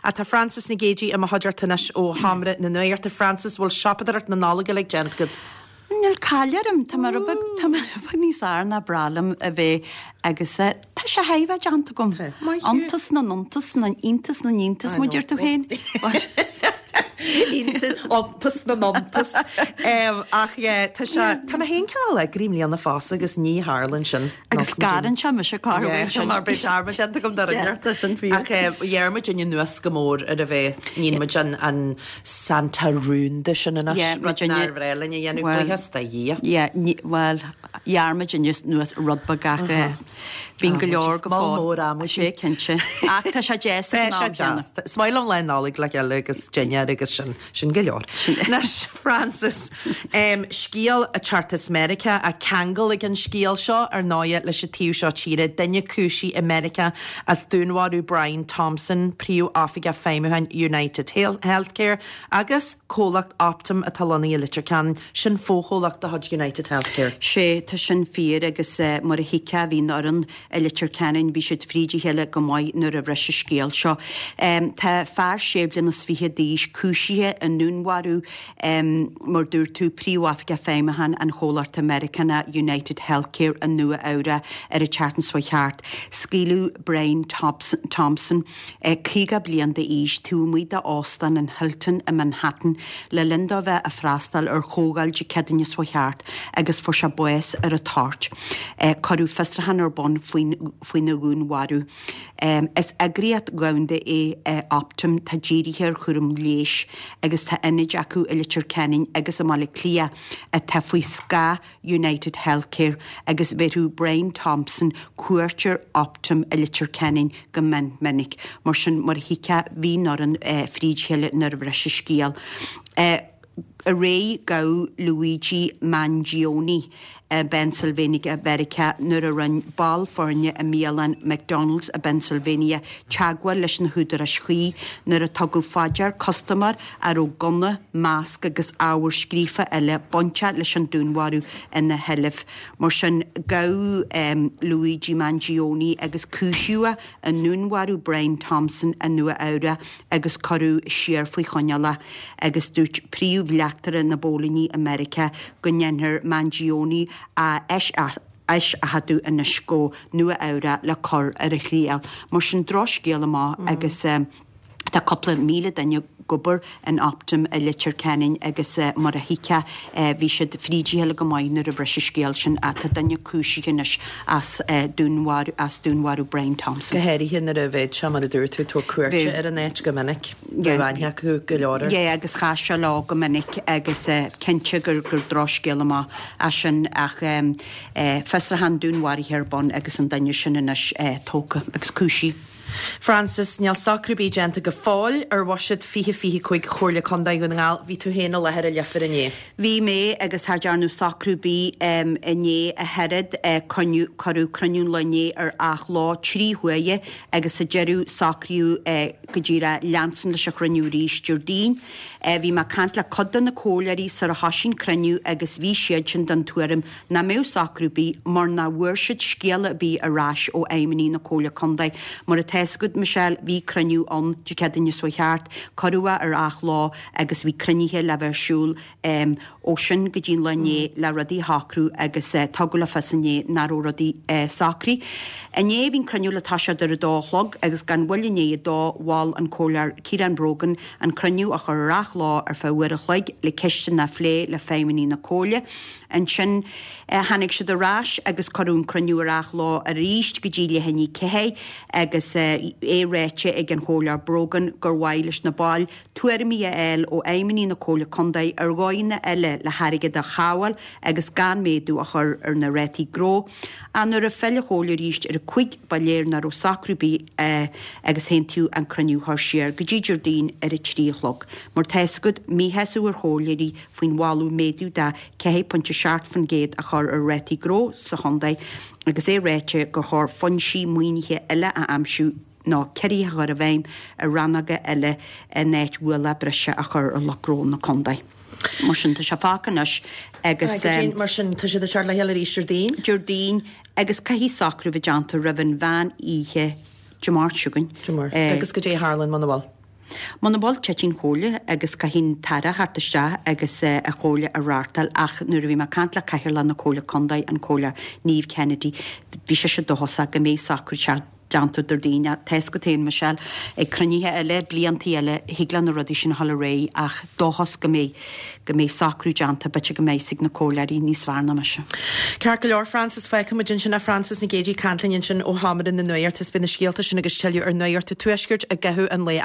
Ach tá Frances Nic Géadaigh i mo chuideachta anois ó Sheomra na Nuachta. Frances, bhfuil siopadóireacht na Nollag uilig déanta agat? Níl caill orm, tá mé rud beag, tá mé rud beag níos fhearr ná breá liom a bheith agus tá sé thar a bheith déanta agam. Maith thú. Iontas na n-iontas, na iontas na n-iontas, mar a deir tú féin. Iontas na n-iontas. Ach yeah, tá sé, tá mé féin cineál eagraithe i mbliana fosta agus ní tharlann sin. Agus scarann sé mise corruair sin. Mar beidh dearmad déanta agam de Yeah, tá sin fíor. Ach ghearr muid anuas go mór ar a bheith, níl muid an an Santa rúnda sin anois, Yeah, rud nár bhreá linn a dhéanamh, buíochas do Dhia. Yeah, bhuel, ghearr muid anuas rud beag ach bíonn go leor go fóill. Mol mór amuigh. Sé cinnte. Ach tá sé deas ag an am céanna. Is maith liom Lá Nollag le chéile agus dinnéar agus sin, sin go leor. Anois, Frances, scéal ag teacht as Meiriceá, ach ceangal ag an scéal seo, ar ndóighe, leis an taobh seo tíre, duine cúisithe i Meiriceá as dúnmharú Brian Thompson, Príomh-Oifigeach Feidhmiúcháin United Healthcare, agus comhlacht Optum atá lonnaithe i Leitir Ceanainn, sin fochomhlacht de chuid United Healthcare. Sé, tá sin fíor agus mar a thuigfeá bhí an fhoireann i Leitir Ceanainn, bhí siad fríd a chéile go maith nuair a bhris an scéal seo. Tá fear sé bliana is fiche d'aois cúisithe i ndúnmharú, mar dúirt tú, Príomh-Oifigeach Feidhmiúcháin an chomhlachta Meiriceánach United Healthcare i Nua Eabhrac ar an tseachtain seo thart. Scaoileadh Brian Thompson, 50 bliain d'aois, taobh amuigh d'Óstán an Hilton i Manhattan le linn dó bheith ag freastal ar chomhdháil Dé Céadaoine seo thart agus fuair sé bás ar an toirt. Cuireadh fiosrúchán ar bun faoina dhúnmharú. Is eagraíocht dhomhanda é Optum atá dírithe ar chúram leighis agus tá ionaid acu i Leitir Ceanainn agus i mBaile Átha Cliath atá faoi scáth United Healthcare agus bheireadh Brian Thompson cuairt ar Optum i Leitir Ceanainn go mion minic. Mar sin, mar a thuigfeá, bhí an fhoireann fríd a chéile nuair a bhris an scéal. Aréir gabhadh Luigi Mangione i bPennsylvania Mheiriceá nuair a rinne ball foirne i mbialann McDonald's i bPennsylvania teagmháil leis na húdaráis chuí nuair a tugadh fá dear custaiméir a raibh gunna, masc agus ábhar scríofa eile bainteach leis an dúnmharú ina sheilbh. Mar sin, gabhadh Luigi Mangione agus cúisíodh é i ndúnmharú Brian Thompson i Nua Eabhrac agus cuireadh siar faoi choinneáil é agus dúirt príomh-bhleachtaire na bpóilíní i Meiriceá go ndéanfar Mangione a eiseachadadh anois go Nua Eabhrac le cur ar a thriail. Mar sin, drochscéal amach agus. Tá cúpla 1,000 duine ag obair in Optum i Leitir Ceanainn agus mar a thuigfeá bhí siad fríd a chéile go maith nuair a bhris an scéal sin ach tá duine cúisithe anois as dúnmharú as dúnmharú Brian Thompson. Go háirithe nuair a bheadh sé mar a dúirt tú ag tabhairt cuairte ar an áit go minic. Bheadh aithne acu go leor air. Yeah agus chas sé leo go minic agus cinnte gur gur drochscéal amach é sin ach fiosrúchán dúnmharaithe ar bun agus an duine sin anois tógtha agus cúisithe. Frances, Níl socrú ar bith déanta go fóill ar bhuiséad 2025 Chomhairle Contae Dhún na nGall. Bhí tú féin i láthair i Leifear inné. Bhí mé agus cha dearnadh socrú ar bith inné ach oiread. Cuireadh cruinniú an lae inné ar athló 3 huaire agus sa deireadh socraíodh go díreach leanstan leis an chruinniú arís Déardaoin. Bhí mé ag caint le cuid de na comhairleoirí sar a thoisigh an cruinniú agus bhí siadsan den tuairim nach mbeadh socrú ar bith mar nach bhfuair siad scéala ar bith ar ais ó fheidhmeannaigh na Comhairle Contae. Mar atá fhios agat, Michelle, bhí cruinniú ann Dé Céadaoine seo thart, cuireadh é ar athló agus bhí cruinnithe le bheith ar siúl ó sin go dtí an lá inné le rudaí a shocrú agus tugadh le fios inné nach raibh rudaí socraithe. Inné bhí an cruinniú le toiseacht ar a dó a chlog agus gan mhoill i ndiaidh a dó mhol an Comhairleoir Ciarán Brogan an cruinniú a chur ar athló ar feadh uair a chloig le ceisteanna a phlé le feidhmeannaigh na Comhairle. Ansin tháinig siad ar ais agus cuireadh an cruinniú ar athló arís go dtí leath i ndiaidh 4 agus é ráite ag an Chomhairleoir Brogan gur mhaith leis na baill tuairimí a fháil ó fheidhmeannaigh na Comhairle Contae ar dhóigheanna eile le hairgead a shábháil agus gan méadú a chur ar na rátaí gnó. Ach nuair a phill an Chomhairle arís ar a cúig ba léir nach raibh socrú ar bith agus aontaíodh an cruinniú a chur siar go dtí Déardaoin ar a 3 a chlog. Mar tá fhios agat, míshásamh ar chomhairleoirí faoin mholadh méadú de 4.7% a chur ar rátaí gnó sa chontae agus é ráite gur chóir foinsí maoinithe eile a aimsiú nó ciorruithe a chur i bhfeidhm i rannóga eile in áit ualach breise a chur ar lucht gnó na contae. Mar sin, tá sé fágtha anois agus. Mar sin, tá siad ag teacht le chéile arís Déardaoin? Déardaoin agus caithfidh socrú bheith déanta roimh an mheán oíche Dé Máirt seo chugainn. Dé Máirt. Agus goidé a tharlaíonn muna bhfuil? Muna bhfuil, titfidh an chomhairle agus caithfidh an tAire theacht isteach agus an chomhairle a reáchtáil ach nuair a bhí mé ag caint le Cathaoirleach na Comhairle Contae, an Comhairleoir Niamh Kennedy, bhí sise dóchasach go mbeidh socrú ceart déanta Déardaoin. Tá fhios agat féin, Michelle, ag cruinnithe eile, bliantaí eile, thig le na rudaí sin a dhul ar aghaidh ach dóchas go mbeidh, go mbeidh socrú déanta, b'fhéidir go mbeidh fhios ag na comhairleoirí níos fearr ná mise. Ceart go leor, Frances, fágfaidh muid ansin é. Frances Nic Géadaigh ag caint linn ansin ó Sheomra na Nuachta. Is beidh na scéalta sin agus tuilleadh ar Nuacht an Tuaiscirt i gcaitheamh an lae.